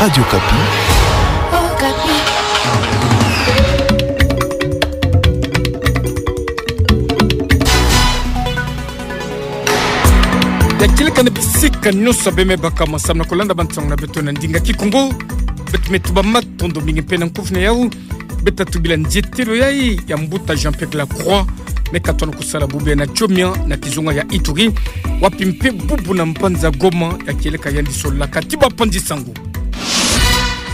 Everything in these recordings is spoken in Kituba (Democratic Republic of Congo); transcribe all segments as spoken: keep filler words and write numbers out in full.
Radio Okapi. Ya kieleka na bisika nyonso beme baka ma samu na kulanda bansangu na beto na ndinga Kikongo. Beto me tuba matondo mingi mpe na nkufi na yau. Beta tubila nzietelo yai ya mbuta Jean-Pierre Lacroix, me katona kusala bubu yai na Tchomia na kizunga ya Ituri, wapi mpe bubu na mbanza Goma ya kieleka yandi solaka ti bapanzi sangu.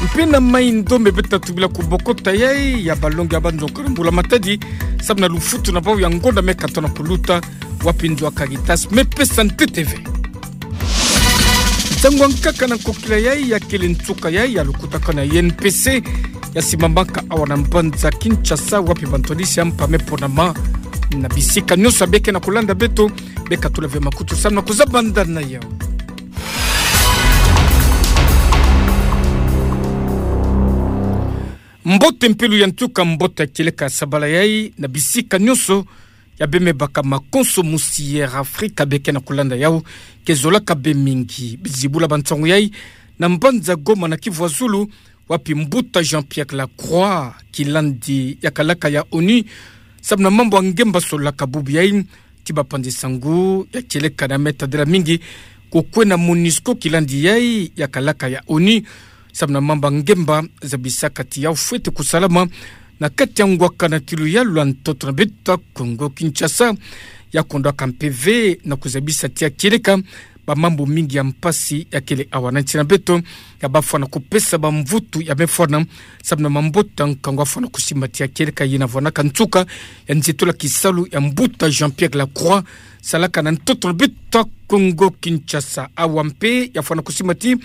Mpe na Mai-Ndombe beta tubila kubokota yai ya balongi ya banzoka na Mbula Matadi, samu na lufutu na bau ya ngonda me katona kuluta, wapi nzo ya Caritas me pesa ntete ve. Nsangu ya nkaka na nkokila yai ya kele nsuka yai ya lukutakanu ya I N P C ya simbamaka awa na mbanza Kinshasa, wapi bantwadisi ya mpa me ponama. Na bisika nyonso beke na kulanda beto, beka tula ve makutu samu na kuzaba ndani na yau. Mbote mpe luyalu ya nsuka, mbote ya kieleka sabala yai na bisika nyonso ya beme baka makonso musi Air Afrique beke na kulanda yau. Ke zolaka be mingi, zibula bansangu yai na mbanza Goma na Kivu ya Zulu, wapi mbuta Jean-Pierre Lacroix, kilandi ya kalaka ya ONU samu na mambu ya ngemba solaka bubu yai ti bapanzi sangu. Ya kieleka na me tadila mingi kukwena MONUSCO, kilandi yai ya kalaka ya ONU samu na mambu ya ngemba, zabisaka ti yau fwete kusalama na kati ya ngwaka na tilu ya lwa ntoto na beto ya Kongo Kinshasa. Ya kondwaka mpe ve na kuzabisa ti ya kieleka bamambu mingi ya mpasi ya kele awa na nsi na beto, ya bafwana kupesa bamvutu ya me fwana samu na mabota nkangu afwana kusimba ti ya kieleka yina. Vwanaka nsuka ya nzietolo ya kisalu ya mbuta Jean-Pierre Lacroix salaka na ntoto na beto ya Kongo Kinshasa. Awa mpe ya fwana kusimba ti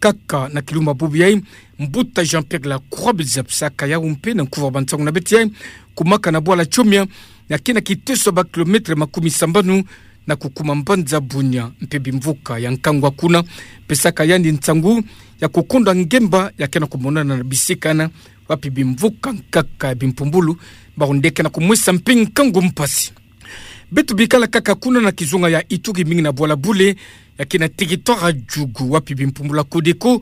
kaka na kilumbu bubu yai, mbuta Jean-Pierre Lacroix, bidisabisaka yau mpe na nkufi ya bansangu na beto yai, kumaka na bwala Tchomia, na kina kiteso ya ba kilomètre makumi sambanu na kukuma mbanza Bunia, mpe bimvuka ya nkangu ya kuna pesaka yandi nsangu ya kukondwa ngemba ya ke na kumonana na bisika yina, wapi bimvuka nkaka ya bimpumbulu baronde ke na kumwesa mpe nkangu mpasi. Beto bikala kaka kuna na kizunga ya Ituri, mingi na bwala Bule, ya ke na territoire ya Djugu, wapi bimpumbulu ya Codeco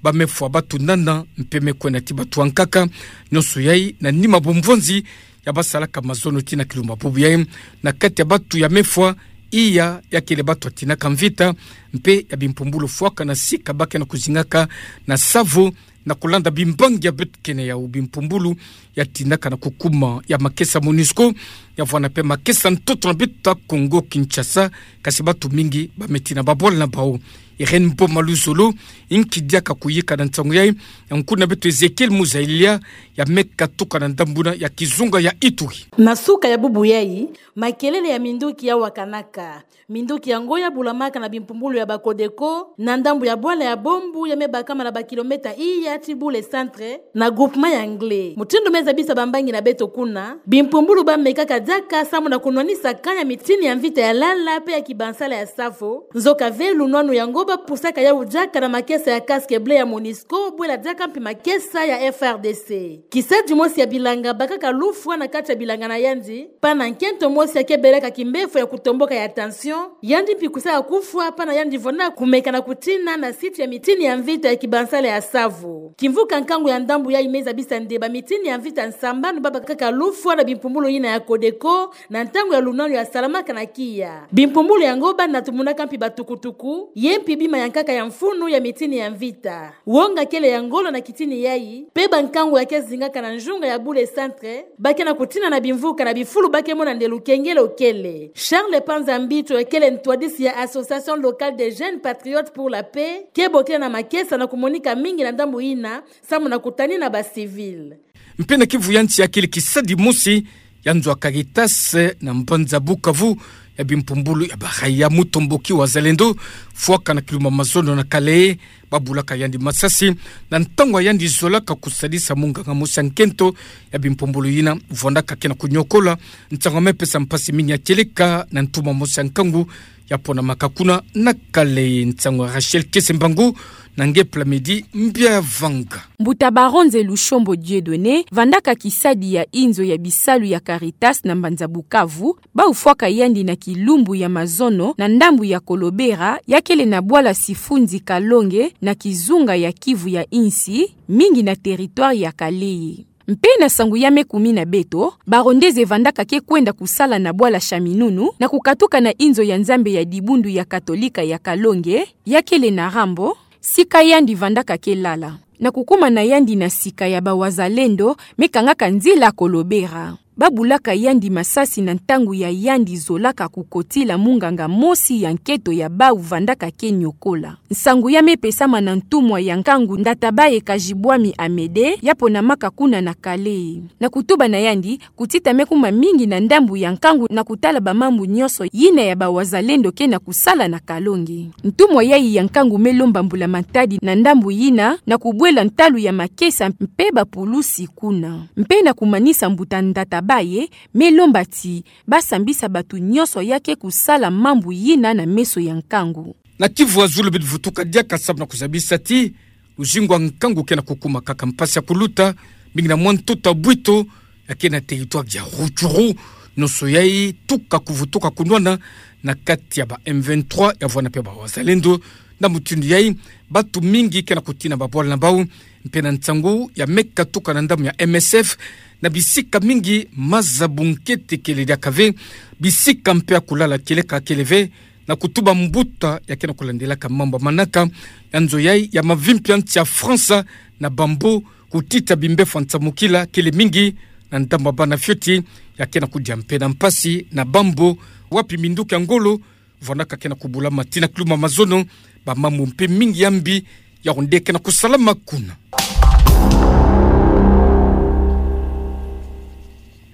ba me fwa batu nana mpe me kwena ti batu ya nkaka, nyonso yai na nima bumvonzi ya basalaka mazono ti na kilumbu bubu yai, na kati ya batu ya me fwa, iya ya kele batu ya tinaka mvita, mpe ya bimpumbulu fwaka na sika ba ke na kuzingaka na SAVO, na kulanda bimbangi ya beto ke na yau. Bimpumbulu ya tinaka na kukuma ya makesa MONUSCO, ya vwana mpe makesa ntoto na beto ya Kongo Kinshasa, kasi batu mingi ba me tina babwala na bau. Irène Boma Luzolo, inki diaka kuyika na nsangu yai, ya nkuna beto Ezekiel Muzalia, ya me katuka na ndambu yina ya kizunga ya Ituri. Na suka ya bubu yai, makelele ya minduki ya wakanaka. Minduki yango ya bulamaka na bimpumbulu ya ba Codeco, na ndambu ya bwala ya Bombu ya me bakama na ba kilomètre iya ti Bule centre, na groupement ya Anglais. Mutindu me zabisa bambangi na beto kuna, bimpumbulu ba mekaka diaka samu na kunwanisa camp ya mitini ya mvita ya Lala mpe ya kibansala ya SAVO. Nzoka ve lunwanu yango ba pusaka yau diaka na makesa ya casque bleu ya MONUSCO, bwela diaka mpi makesa ya F R D C. Kisadi mosi ya bilanga bakaka lufwa na kati ya bilanga na yandi, mpa na nkento mosi ya ke belaka kimbefo ya kutomboka ya tension, yandi mpi kusaka kufwa, mpa na yandi vona kumeka na kutina na site ya mitini ya mvita ya kibansala ya SAVO. Kimvuka nkangu ya ndambu yai me zabisa nde ba mitini ya mvita sambanu ba bakaka lufwa na bimpumbulu yina ya Codeco, na ntangu ya lunwanu ya salamaka na kiya. Bimpumbulu yango ba natumunaka mpi batukutuku, ye mpi bima ya nkaka ya mfunu ya mitini ya mvita. Wonga kele ya ngolo na kitini yai, mpe bankangu ya ke zingaka na nzunga ya Bule centre, ba ke na kutina na bimvuka na bifulu ba ke mona nde lukengele lukele. Charles Panza Mbito, ya kele ntwadisi ya Association locale des jeunes patriotes pour la paix, ke bokila na makesa na kumonika mingi na ndambu yina, samu na kutanina ba civils. Mpe na Kivu ya nsi ya kele kisadi mosi ya nzo ya Caritas na mbanza Bukavu, ya bimpumbulu ya ba raia mutomboki Wazalendo, fwaka na kilumbu mazono na Kalehe, ba bulaka yandi masasi, na ntangu yandi zolaka kusadisa munganga mosi ya nkento ya bimpumbulu yina, vwandaka ke na kunyokola, ntangu me pesa mpasi mingi ya kieleka na ntuma mosi ya nkangu ya ponamaka kuna na Kale. Nsangu ya Rachel Kesembangu na nge Plamedi Mbiavanga. Mbuta Baronze Lushombo Dieudonné, vandaka kisadi ya inzo ya bisalu ya Caritas na mbanza Bukavu, bau fwaka yandi na kilumbu ya mazono na ndambu ya Kolobera, ya kele na bwala Sifunzi Kalonge na kizunga ya Kivu ya insi, mingi na territoire ya Kalehe. Mpe na nsangu ya me kumi na beto, Barondeze vandaka ke kwenda kusala na bwala Chaminunu na kukatuka na inzo ya Nzambe ya dibundu ya Katolika ya Kalonge, ya kele na Rambo, sika yandi vandaka ke lala. Na kukuma na yandi na sika ya ba Wazalendo me kangaka nzila Kolobera. Babulaka yandi masasi na ntangu ya yandi zolaka kukotila munganga mosi ya nketo ya bau vandaka ke nyokola. Nsangu ya me pesama na ntumwa ya nkangu Ndatabaye Kajibwami Amédée, ya ponamaka kuna na Kalehe. Na kutuba na yandi, kutita me kuma mingi na ndambu ya nkangu na kutala ba mambu nyonso yina ya ba Wazalendo ke na kusala na Kalonge. Ntumwa yayi ya nkangu me lomba mbula matadi na ndambu yina na kubwela ntalu ya makesa mpe ba pulusi kuna. Mpe na kumanisa, mbuta Ndatabaye me lomba ti ba sambisa bato nyonso ya ke kusala mambu yina na meso ya nkangu. Na Kivu ya zulu beto vutuka diaka samu na kuzabisa ti luzingu ya nkangu ke na kukuma kaka mpasi ya kuluta, mingi na mwa ntoto ya bwito ya ke na territoire ya Rutshuru, nyonso yayi tuka kuvutuka kunwana na kati ya ba M vingt-trois ya vwanda mpe ba Wazalendo. Na mutindu yayi, bato mingi ke na kutina ba bwala na bau, mpe na nsangu ya me katuka na ndambu ya M S F, na bisika mingi maza bunkete kele diaka ve, bisika mpe ya kulala kieleka kele ve, na kutuba mbuta ya ke na kulandelaka mambu ya manaka ya nzo yayi ya mavimpi ya nsi ya France na bambu, kutita bimbefo ya nsamukila kele mingi na ndambu ya bana fioti ya ke na kudia mpe na mpasi na bambu, wapi minduki ya ngolo vwandaka ke na kubulama ti na kilumbu ya mazono, ba mambu mpe mingi ya mbi ya onde ke na kusalama kuna.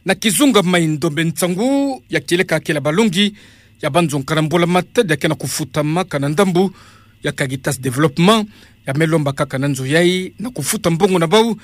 Na kizunga Mai-Ndombe, nsangu ya kieleka kele ya balongi ya banzonga na mbula matadi ya ke na kufutamaka na ndambu ya Caritas Développement, ya me lomba kaka na nzo yayi na kufuta mbongo na bau,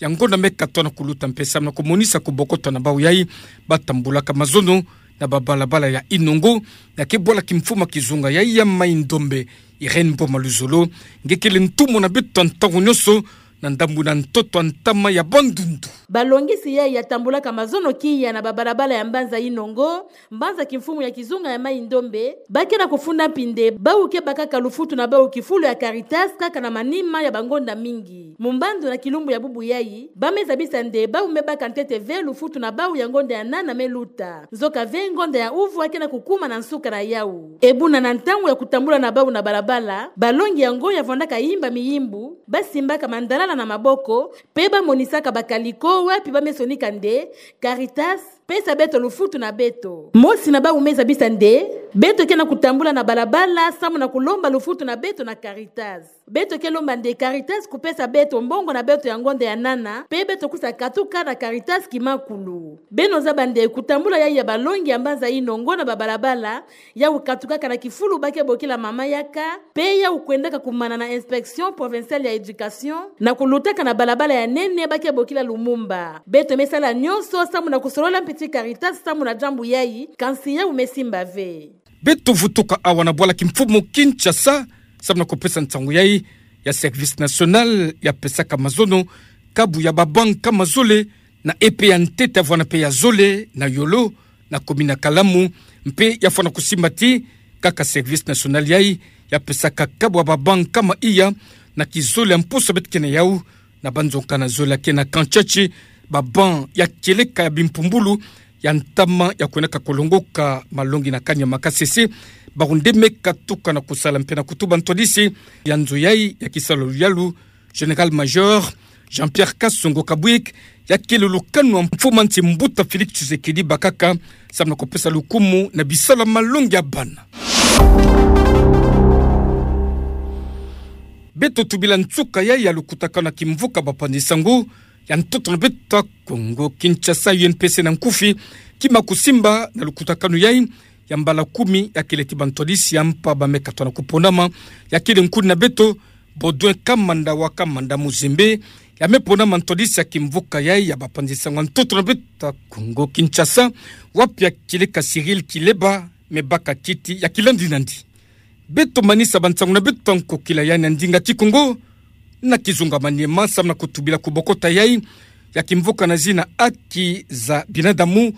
ya ngonda me katwa na kuluta mpe samu na kumonisa kubokoto na bau yayi ba tambulaka mazono na ba balabala ya Inongo, ya ke bwala kimfumu ya kizunga yayi ya Mai-Ndombe, Irène Mboma Luzolo, nge kele ntumwa na beto ya ntangu nyonso na ndambu na ntoto ya ntama ya Bandundu. Balongisi yayi ya tambulaka mazono kiya na ba balabala ya mbanza Inongo, mbanza kimfumu ya kizunga ya Mai-Ndombe, ba ke na kufunda mpi nde bau ke bakaka lufutu na bau kifulu ya Caritas kaka na manima ya bangonda mingi. Mumbandu na kilumbu ya bubu yayi, ba me zabisa nde bau me baka ntete ve lufutu na bau ya ngonda ya nana me luta. Nzoka ve ngonda ya uvu ya ke na kukuma na nsuka na yau. Ebuna na ntangu ya kutambula na bau na balabala, balongi yango ya vwandaka yimba miyimbu, ba simbaka mandalala na maboko, mpe ba monisaka ba kaliko wapi ba me sonika nde Caritas pesa beto lufutu na beto. Mosi na bau me zabisa nde beto ke na kutambula na balabala samu na kulomba lufutu na beto na Caritas. Beto ke lomba nde Caritas kupesa beto mbongo na beto ya ngonda ya nana, mpe beto kusa katuka na Caritas kimakulu. Beno zaba nde kutambula yayi ya balongi ya mbanza Inongo na ba balabala, yau katukaka na kifulu ba ke bokila Mama Yaka, mpe yau kwendaka kumana na Inspection Provinciale ya Éducation, na kulutaka na balabala ya nene ba ke bokila Lumumba. Beto me sala nyonso samu na kusolola mpi ti Caritas samu na diambu yayi, kansi yau me simba ve. Beto vutuka awa na bwala kimfumu Kinshasa, samu na kupesa nsangu yayi ya Service National ya pesaka mazono kabu ya ba banc nkama zole, na E P ya ntete ya vwanda mpe ya zole na Yolo, na commune ya Kalamu, mpe ya fwana kusimba ti kaka Service National yayi ya pesaka kabu ya ba banc nkama iya na kizole ya mposo beto ke na yau, na banzonga na zole ya ke na Kantshatshi, ba banc ya kieleka ya bimpumbulu ya ntama ya kwendaka kulongoka malongi na kani ya Makasese, bawu nde me katuka na kusala mpe na kutuba ntwadisi ya nzo yayi ya kisalu ya luyalu, Général-Major Jean-Pierre Kasongo Kabwik, ya kele lukanu ya mfumu ya nsi mbuta Félix Tshisekedi bakaka, samu na kupesa lukumu na bisalu ya malongi ya bana. Beto tubila nsuka yayi ya lukutakanu ya kimvuka bapanzi nsangu ya ntoto na beto ya Kongo Kinshasa, U N P C na nkufi, kima kusimba na lukutakanu yayi ya mbala kumi ya kele ti bantwadisi ya mpa ba me katwa na kuponama, ya kele nkuni na beto Baudouin Kamanda wa Kamanda Muzembe, ya me ponama ntwadisi ya kimvuka yayi ya bapanzi nsangu ya ntoto na beto ya Kongo Kinshasa, wapi ya kieleka Cyril Kileba me baka kiti ya kilandi nandi. Beto manisa bansangu na beto ya nkokila yayi na ndinga Kikongo, na kizunga maniema samu na kutubila kubokota yayi ya kimvuka na zina haki za binadamu,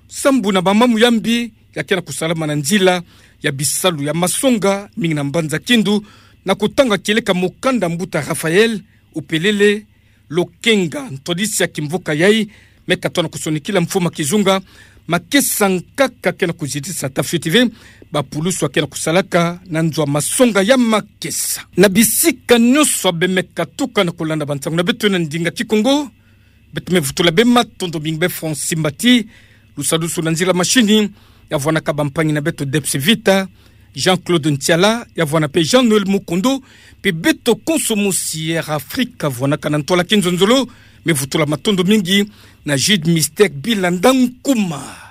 sambu na mamamu ya mbi ya ke na kusalama na nzila ya bisalu ya masonga mingi na mbanza Kindu, na kutanga kieleka mukanda mbuta Raphaël Upelele Lokenga, ntwadisi ya kimvuka yayi, me katona kusonikila mfumu a kizunga makesa nkaka ke na kuzitisa tafiti ve bapulusu ya ke na kusalaka na nzo a masonga ya makesa. Na bisika nyonso abe me katuka na kulanda bansangu na beto na ndinga Kikongo, beto me vutula bê matondo mingi bê Francis Mbati, lusadusu na nzila mashini, ya vwanaka bampangi na beto Debs Vita, Jean-Claude Ntiala, ya vwana pe Jean-Noël Mukundu, pe beto konso mosi Air Afrique ya vwanaka na ntwala kinzonzolo, me vutula matondo mingi na Jude Mystère Bilanda Nkuma.